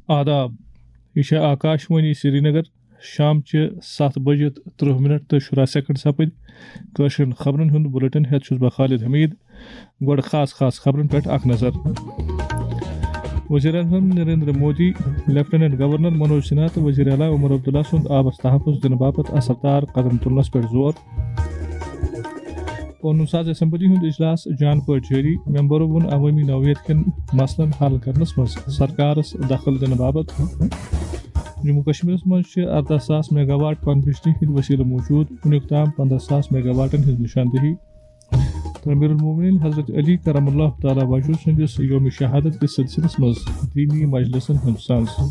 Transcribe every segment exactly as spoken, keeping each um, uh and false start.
آداب، یہِ چھےٚ آکاشوانی سرینگر۔ شام چہِ ستھ بجہِ تہٕ ترٕٛہ منٹ تہٕ شُراہ سیکنڈ سپٕدۍ۔ کٲشرٮ۪ن خبرن ہُنٛد بُلٹن ہٮ۪تھ چھُس بہٕ خالد حمید۔ گۄڈٕ خاص خاص خبرن پٮ۪ٹھ اکھ نظر۔ وزیر اعظم نریندر مودی، لیفٹیننٹ گورنر منوج سنہا تہٕ وزیر اعلیٰ عمر عبداللہ سُنٛد آبس تحفظ دِنہٕ باپتھ اثردار قدم تُلنس پٮ۪ٹھ زور۔ قونوٗن ساز اسمبلی ہُنٛد اجلاس جان پٲٹھۍ جٲری۔ ممبرو ووٚن عوٲمی نوعیت کٮ۪ن مسلن حل کرنس منٛز سرکارس دخل دِنہٕ باپتھ۔ جموں کشمیرس منٛز چھِ ارداہ ساس میگا واٹ پن بجلی ہٕنٛدۍ وسیلہٕ موجود۔ وُنیُک تام پنداہ ساس میگا واٹن ہٕنٛز نشاندہی۔ تہٕ امیر المومنین حضرت علی کرم اللہ تعالیٰ وجہہ سٕنٛدِس یوم شہادت کِس سلسلس منٛز دیٖنی مجلسن ہُنٛد سنز۔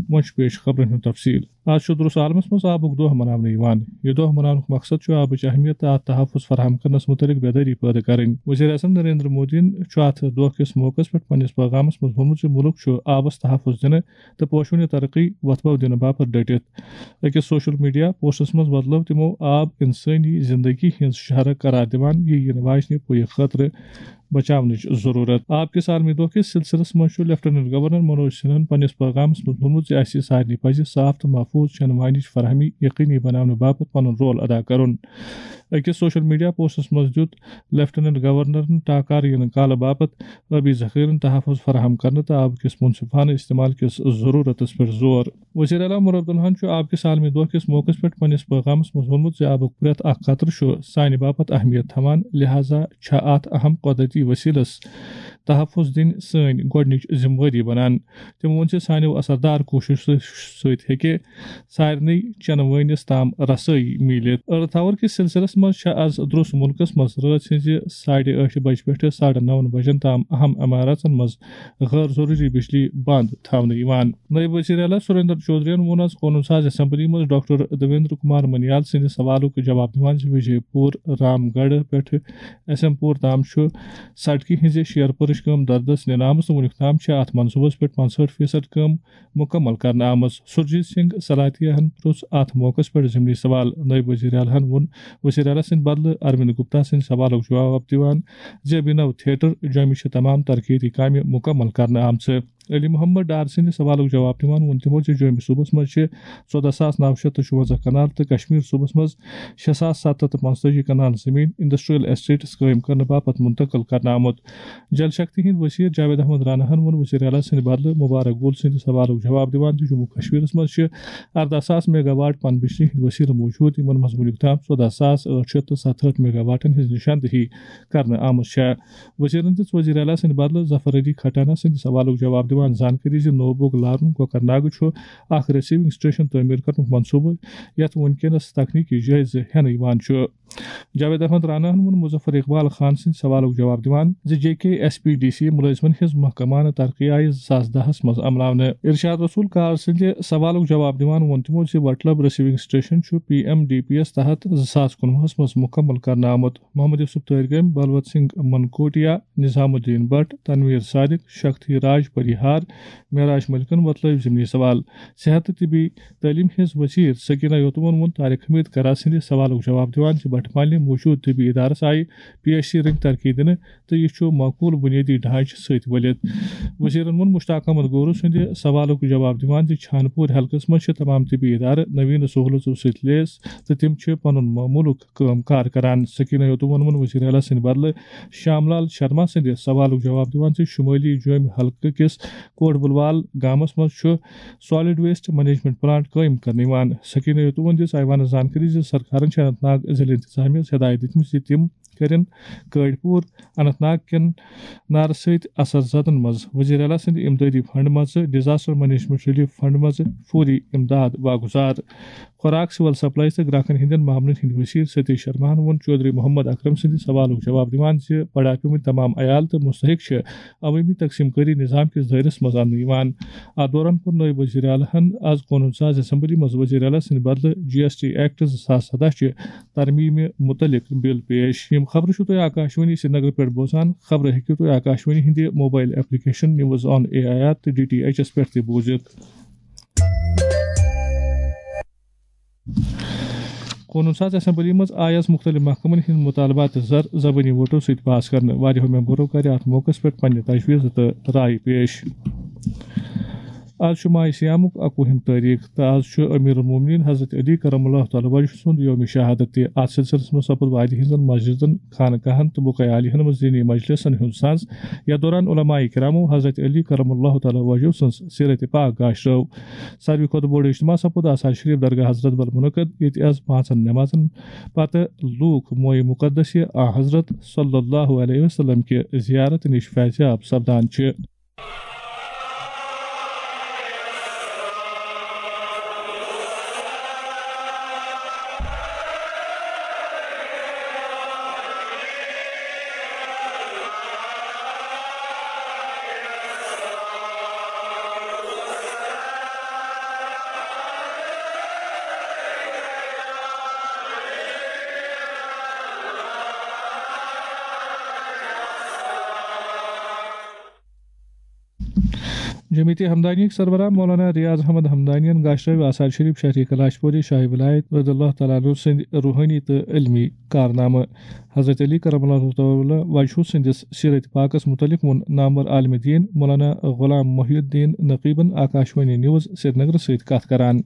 وۄنۍ چھُ پیش خبرن ہُنٛد تفصیل۔ آز چھُ درُس عالمس منٛز آبُک دۄہ مناونہٕ یِوان۔ یہِ دۄہ مناونُک مقصد چھُ آبٕچ اہمیت تہٕ اتھ تحفظ فراہم کرنس متعلق بیدٲری پٲدٕ کرٕنۍ۔ وزیر اعظم نریندر مودیَن چھُ اتھ دۄہ کِس موقعس پٮ۪ٹھ پننِس پیغامس منٛز ووٚنمُت زِ مُلک چھُ آبس تحفظ دِنہٕ تہٕ پوشوٕنہِ ترقی وۄتھبو دِنہٕ باپتھ ڈٔٹِتھ۔ أکِس سوشل میڈیا پوسٹس منٛز بدلٲو تِمو آب انسٲنی زندگی ہٕنٛز شہرک قرار دِوان، یہِ یِنہٕ واجنہِ پُیہِ خٲطرٕ بچاونٕچ ضروٗرت۔ آب کِس عالمی دۄہ کِس سلسلس منٛز چھُ لیفٹیننٹ گورنر منوج سنہن پننِس پیغامس منٛز ووٚنمُت زِ اسہِ سارنٕے پزِ صاف تہٕ محفوظ چٮ۪نہٕ وانِچ فراہمی یقینی بناونہٕ باپتھ پنُن رول ادا کرُن۔ أکِس سوشل میڈیا پوسٹس منٛز دیُت لیفٹیننٹ گورنرن ٹاکار یِنہٕ کالہٕ باپتھ ٲبی ذخیرن تحفظ فراہم کرنہٕ تہٕ آب کِس منصفانہٕ استعمال کِس ضرورتس پٮ۪ٹھ زور۔ وزیر اعلیٰ عمر عبداللہن چھُ آب کِس عالمی دۄہ کِس موقعس پٮ۪ٹھ پننِس پیغامس منٛز ووٚنمُت زِ آبُک پرٛٮ۪تھ اکھ قطرٕ چھُ سانہِ باپتھ اہمیت تھاوان، لہذا چھےٚ اتھ اہم قۄدرتی وسیلس تحفظ دِنۍ سٲنۍ گۄڈٕنِچ ذمہٕ وٲری بنان۔ تٔمۍ ووٚن زِ سانیو اثردار کوٗششو سۭتۍ ہیٚکہِ سارنٕے چنہٕ وٲنِس تام رسٲیی میٖلِتھ۔ ارتھ آور کِس سلسلس منٛز چھےٚ از درُس مُلکس منٛز رٲژ ہٕنٛزِ ساڑِ ٲٹھِ بجہِ پٮ۪ٹھٕ ساڑٕ نَوَن بجن تام اہم عمارژن منٛز غٲر ضروٗری بجلی بنٛد تھاونہٕ یِوان۔ نٲیِب وزیر اعلیٰ سریندر چودھرین ووٚن از قونوٗن ساز اسمبلی منٛز ڈاکٹر دیویندر کمار منیال سٕنٛدِ سوالُک جواب دِوان زِ وجے پوٗر، رام گڑھ پٮ۪ٹھٕ ایس ایم پوٗر تام چھُ سڑکہِ ہٕنٛزِ شیر پٔرٕش کٲم دردس نِنہٕ آمٕژ تہٕ وُنیُک تام چھِ اتھ منصوٗبس پٮ۪ٹھ پانٛژہٲٹھ فیصد کٲم مُکمل کرنہٕ آمٕژ۔ سُرجیت سنگھ سلاتیاہن پرُژھ اتھ موقعس پٮ۪ٹھ ضمنی سوال۔ نٲیِب وزیر اعلیٰ ہن ووٚن وزیر اعلیٰ سٕنٛدِ بدلہٕ اروند گپتا سٕنٛدِ سوالُک جواب دِوان زِ ابھینو تھیٹر جوٚمہِ چھِ تمام ترقیتی کامہِ مُکمل کرنہٕ آمژٕ۔ علی محمد ڈار سٕنٛدِ سوالُک جواب دِوان ووٚن تِمو زِ جوٚمہِ صوٗبس منٛز چھِ ژۄدہ ساس نَو شیٚتھ تہٕ شُوَنزاہ کنال تہٕ کشمیر صوٗبس منٛز شےٚ ساس ستھ ہَتھ تہٕ پانٛژتٲجی کنال زمین انڈسٹریل اسٹیٹس قٲیِم کرنہٕ باپتھ منتقل کرنہٕ آمُت۔ جل شکتی ہٕنٛدۍ وزیر جاوید احمد راناہن ووٚن وزیر اعلیٰ سٕنٛدِ بدلہٕ مبارک گول سٕنٛدِ سوالُک جواب دِوان زِ جموں کشمیرس منٛز چھِ ارداہ ساس میگا واٹ پن بجلی ہٕنٛدۍ وسیلہٕ موجود، یِمن منٛز وُنیُک تام ژۄدہ ساس ٲٹھ شیٚتھ تہٕ ستہٕ ہٲٹھ میگا واٹن ہٕنٛز نشاندہی کرنہٕ آمٕژ چھےٚ۔ وزیرن دِژ وزیر اعلیٰ سٕنٛدِ بدلہٕ ظفر علی کھٹانہ سٕنٛدِ سوالُک جواب دِوان زانکٲری زِ نوبوگ لارُن کۄکرناگ چھُ اکھ ریسیونگ سٹیشن تعمیٖر کرنُک منصوبہٕ، یتھ وُنکیٚنس تکنیکی جٲیزٕ ہٮ۪نہٕ یِوان چھُ۔ جاوید احمد راناہن ووٚن مظفر اقبال خان سٕنٛدِ سوالُک جواب دِوان زِ جے کے ایس پی ڈی سی مُلٲزمن ہٕنٛز محکمانہٕ ترقی آیہِ زٕ ساس دَہَس منٛز عملاونہٕ۔ ارشاد رسول کار سٕنٛدِ سوالُک جواب دِوان ووٚن تِمو زِ وٹلب ریسیونگ سٹیشن چھُ پی ایم ڈی پی یَس تحت زٕ ساس کُنوُہَس منٛز مُکمل کرنہٕ آمُت۔ محمد یوسف طٲہر گٲمۍ، بلوت سنگھ منکوٹیا، نظام الدین بٹ، تنویر صادق، شکتی راج پریہار، معراج ملکن وۄتلٲوۍ ضمنی سوال۔ صحت تہٕ طبی تعلیٖم ہٕنٛز وزیر سکینہ یوتمن ووٚن طارق حمید کرا سٕنٛدِ سوالُک جواب دِوان زِ بٹہٕ مالنہِ موجود طبی ادارس آیہِ پی ایچ سی رٔنگۍ ترقی دِنہٕ تہٕ یہِ چھُ معقول بُنیٲدی ڈھانچہٕ سۭتۍ ؤلِتھ۔ وزیرن ووٚن مشتاق احمد گورو سٕنٛدِ سوالُک جواب دِوان زِ چھانپور حلقس منٛز چھِ تمام طبی ادارٕ نوین سہولژو سۭتۍ لیس تہٕ تِم چھِ پنُن معموٗلُک کٲم کار کران۔ سکینہ یوتمن ووٚن وزیر اعلیٰ سٕنٛدِ بدلہٕ شام لال شرما سٕنٛدِ سوالُک جواب دِوان زِ شمٲلی جوٚمۍ حلقہٕ کِس کوٹ بلوال گامس منٛز چھُ سالڈ ویسٹ مینجمنٹ پلانٹ قٲیِم کرنہٕ یِوان۔ سکینہ یوتمن دِژ ایوانس زانکٲری زِ سرکارن چھِ اننت ناگ ضلعہٕ انتظامیہ یَس ہدایت دِژمٕژ زِ تِم کٔرِن کٲڑۍ پوٗر اننت ناگ کٮ۪ن نارٕ سۭتۍ اثر زدن منٛز وزیر اعلیٰ سٕنٛدِ امدادی فنڈ منٛزٕ ڈیزاسٹر مینجمنٹ ریلیف فنڈ منٛزٕ فوری امداد واگزار۔ خوراک، سول سپلائز تہٕ گراکن ہٕنٛدٮ۪ن معاملن ہٕنٛدۍ وزیر ستیش شرماہن ووٚن چودھری محمد اکرم سٕنٛدِ سوالُک جواب دِوان زِ بڑاپیمٕتۍ تمام عیال تہٕ مستحق چھِ عوٲمی تقسیم کٲری نظام کِس دٲیرس منٛز اننہٕ یِوان۔ اتھ دوران کوٚر نٲیِب وزیر اعلیٰ ہن از قونوٗن ساز اسمبلی منٛز وزیر اعلیٰ سٕنٛدِ بدلہٕ جی ایس ٹی ایکٹ زٕ ساس سداہ چہِ ترمیمہِ مُتعلق بل پیش۔ یِم خبرٕ چھِو تُہۍ آکاشوانی سرینگر پٮ۪ٹھ بوزان۔ خبرٕ ہیٚکِو تُہۍ آکاشوانی ہٕنٛدِ mobile application news on A I R تہٕ ڈی ٹی ایچ یَس پٮ۪ٹھ تہِ بوٗزِتھ۔ قونوٗن ساز اسمبلی منٛز آیہِ آز مُختٔلِف محکمن ہٕنٛدۍ مُطالبات زر زبٲنی ووٹو سۭتۍ پاس کرنہٕ۔ واریاہو ممبرو کَرِ اَتھ موقعس پٮ۪ٹھ پنٕنہِ تجویٖزٕ تہٕ رایہِ پیش۔ آز چھُ ماہِ صیامُک اَکوُہِم تٲریٖخ تہٕ آز چھُ امیر المومنین حضرت علی کرم اللہ تعالیٰ وجہ سُنٛد یوم شہادت تہِ۔ اَتھ سلسلس منٛز سپُد وادی ہٕنٛزن مسجدن، خانقاہن تہٕ بقیہ عالیہن منٛز دینی مجلسن ہُنٛد ساز۔ یَتھ دوران علماء کرامو حضرت علی کرم اللہ تعالیٰ وجہ سٕنٛز سیرت پاک گاشرٲو۔ ساروی کھۄتہٕ بوٚڑ اجتماع سپُد آثار شریف درگاہ حضرت بل منعقد، ییٚتہِ آز پانٛژن نمازن پتہٕ لوٗکھ مویہِ مقدس آ حضرت صلی اللہ علیہ وسلم کہِ زیارت نِش فیضیاب سپدان چھِ۔ جمعیت ہمدانیٕکۍ سربراہ مولانا ریاض احمد ہمدانین گاشرٲوۍ آثار شریف شہری کلاش پوری شاہی ولایت رضی اللہ تعالیٰ عنہ سٕنٛدۍ روحٲنی تہٕ علمی کارنامہٕ۔ حضرت علی کرم اللہ تعالیٰ وجہہ سٕنٛدِس سیرت پاکس متعلق ووٚن نامور عالم دین مولانا غلام محی الدین نقیبن آکاشوانی نیوز سرینگر سۭتۍ کتھ کران۔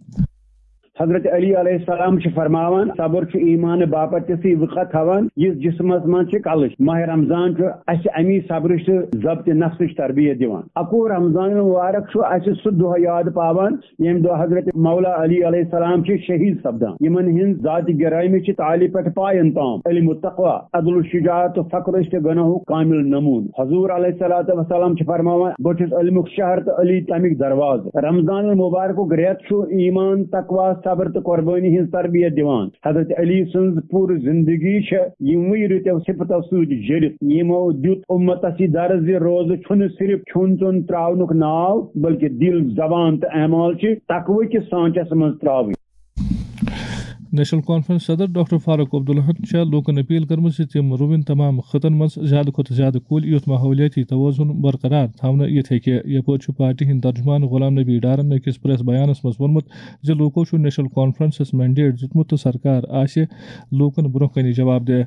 حضرت علی علیہ السلام چھِ فرماوان، صبر چھُ ایمان باپتھ تِژھٕے وقعت تھاوان، یُس جسمس منٛز چھِ کلٕچ۔ ماہ رمضان چھُ اسہِ امی صبرٕچ تہٕ ضبط نفسٕچ تربیت دِوان۔ اکوُہ رمضان المبارک چھُ اسہِ سُہ دۄہ یاد پاوان، ییٚمہِ دۄہ حضرت مولا علی علیہ السلام چھِ شہید سپدان، یِمن ہٕنٛز ذات گرامی چھِ تالہِ پٮ۪ٹھ پاین تام علم و تقوی، عدل و شجاعت و فقر تہٕ گناہُک کامل نمون۔ حضور علیہ الصلوۃ والسلام چھِ فرماوان، بہٕ چھُس علمُک شہر تہٕ علی تمیُک دروازٕ۔ رمضان المبارکُک رٮ۪تھ چھُ ایمان، تقوی، صبر تہٕ قربٲنی ہٕنٛز تربیت دِوان۔ حضرت علی سٕنٛز پوٗرٕ زندگی چھےٚ یِموٕے رٕتیو صفتو سۭتۍ جٔرِتھ، یِمو دیُت اُمتس یہِ درس زِ روزٕ چھُنہٕ صرف کھیوٚن چیوٚن ترٛاونُک ناو، بلکہِ دِل، زبان تہٕ اعمال چھِ تقوی کِس سانچس منٛز ترٛاوٕنۍ۔ نیشنل کانفرنس صدر ڈاکٹر فاروق عبداللہن چھےٚ لوٗکن اپیل کٔرمٕژ زِ تِم رُوٕنۍ تمام خطن منٛز زیادٕ کھۄتہٕ زیادٕ کُلۍ، یُتھ ماحولیٲتی توازن برقرار تھاونہٕ یِتھ ہیٚکہِ۔ یپٲرۍ چھُ پارٹی ہٕنٛدۍ ترجمان غلام نبی ڈارن أکِس پریس بیانس منٛز ووٚنمُت زِ لوٗکو چھُ نیشنل کانفرنسس مینڈیٹ دیُتمُت تہٕ سرکار آسہِ لوٗکن برٛونٛہہ کنہِ جواب دہ۔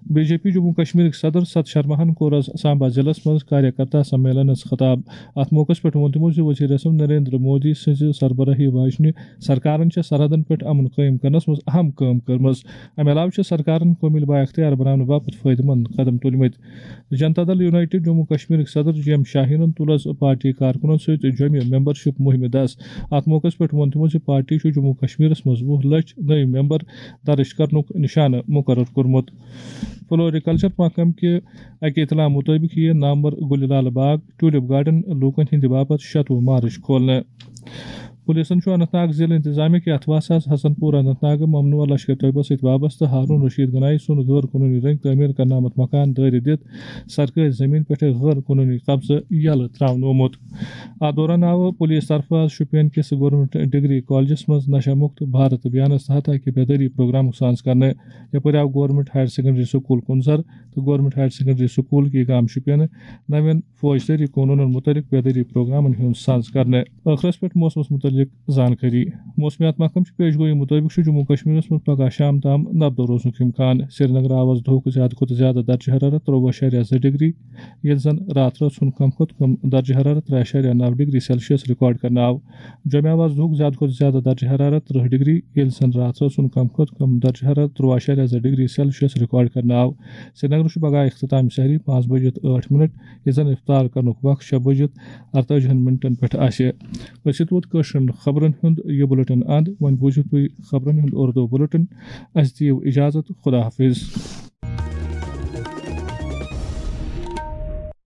بی جے پی جموں کشمیرٕکۍ صدر ست شرماہن کوٚر آز سامبا ضلعس منٛز کاریہ کرتا سمیلنس خطاب۔ اتھ موقعس پٮ۪ٹھ ووٚن تِمو زِ وزیر اعظم نریندر مودی سٕنٛزِ سربراہی واجنہِ سرکارن چھےٚ سرحدن پٮ۪ٹھ امن قٲیِم کرنس منٛز اہم کٲم کٔرمٕژ۔ امہِ علاوٕ چھِ سرکارن قومی بااختیار بناونہٕ باپتھ فٲیدٕ مند قدم تُلمٕتۍ۔ جنتا دل یونائیٹڈ جموں کشمیرٕکۍ صدر جی ایم شاہینن تُل آز پارٹی کارکنن سۭتۍ جوٚمہِ ممبرشپ مُہِمہِ دس۔ اتھ موقعس پٮ۪ٹھ ووٚن تِمو زِ پارٹی چھُ جموں کشمیرس منٛز وُہ لچھ نٔوۍ ممبر درٕج کرنُک نشانہٕ مقرر کوٚرمُت۔ فلوریکلچر محکمہٕ کہِ اکہِ اطلاع مُطٲبِق یِیہِ نامور گُلہِ لال باغ ٹیولپ گارڈن لوٗکن ہٕنٛدِ باپتھ شَتوُہ مارچ کھولنہٕ۔ پُلیٖسن چھُ اننت ناگ ضلعہٕ انتظامیہ کہِ اتھواسس حسن پور اننت ناگہٕ ممنوع لشکر طیبہ سۭتۍ وابستہٕ ہارون رشید گنایی سُنٛد غٲر قونوٗنی رنٛگۍ تعمیٖر کرنہٕ آمُت مکان دٲرِتھ دِتھ سرکٲرۍ زٔمیٖن پٮ۪ٹھ غٲر قونوٗنی قبضہٕ یَلہٕ ترٛاونومُت۔ اتھ دوران آو پُلیٖس طرفہٕ آز شُپین کِس گورنمنٹ ڈگری کالجس منٛز نشہ مُکت بھارت ابھیانس تحت اکہِ بیدٲری پروگرامُک سانز کرنہٕ۔ یپٲرۍ آو گورنمنٹ ہائر سیکنڈری سکول کُنزر تہٕ گورنمنٹ ہائر سیکنڈری سکول کی گام شُپینہٕ نوین فوجدٲری قونوٗنن مُتعلق بیدٲری پروگرامن ہُنٛد سانز کرنہٕ۔ ٲخرس پٮ۪ٹھ موسمس مُتعلق زانکٲری۔ موسمیات محکمہٕ چہِ پیش گویی مُطٲبِق چھُ جموں کشمیرس منٛز پگاہ شام تام نبدو روزنُک امکان۔ سرینگر آو آز دُہُک زیادٕ کھۄتہٕ زیادٕ درجہ حرارت ترٛووُہ اعشاریہ زٕ ڈگری، ییٚلہِ زن راتھ رٲژ ہُنٛد کم کھۄتہٕ کم درجہ حرارت ترٛےٚ اعشاریہ نَو ڈگری سیلسیس ریکارڈ کرنہٕ آو۔ جوٚمہِ آو آز دُہُک زیادٕ کھۄتہٕ زیادٕ درجہ حرارت ترٕٛہ ڈگری، ییٚلہِ زن راتھ رٲژ ہُنٛد کم کھۄتہٕ کم درجہ حرارت ترٛووُہ اعشاریہ زٕ ڈگری سیلسیس ریکارڈ کرنہٕ آو۔ سرینگر چھُ پگاہ اختتام سحری پانٛژھ بجِتھ ٲٹھ منٹ، ییٚلہِ زن افطار کرنُک وقت شےٚ بجِتھ اَرتٲجِہن منٹن پٮ۪ٹھ آسہِ۔ أسۍ ووت کٲشرٮ۪ن خبرن ہُنٛد یہِ بُلٹن اند۔ وۄنۍ بوٗزِو تُہۍ خبرن ہُنٛد اردو بُلٹن۔ اَسہِ دِیِو اجازت۔ خدا حافظ۔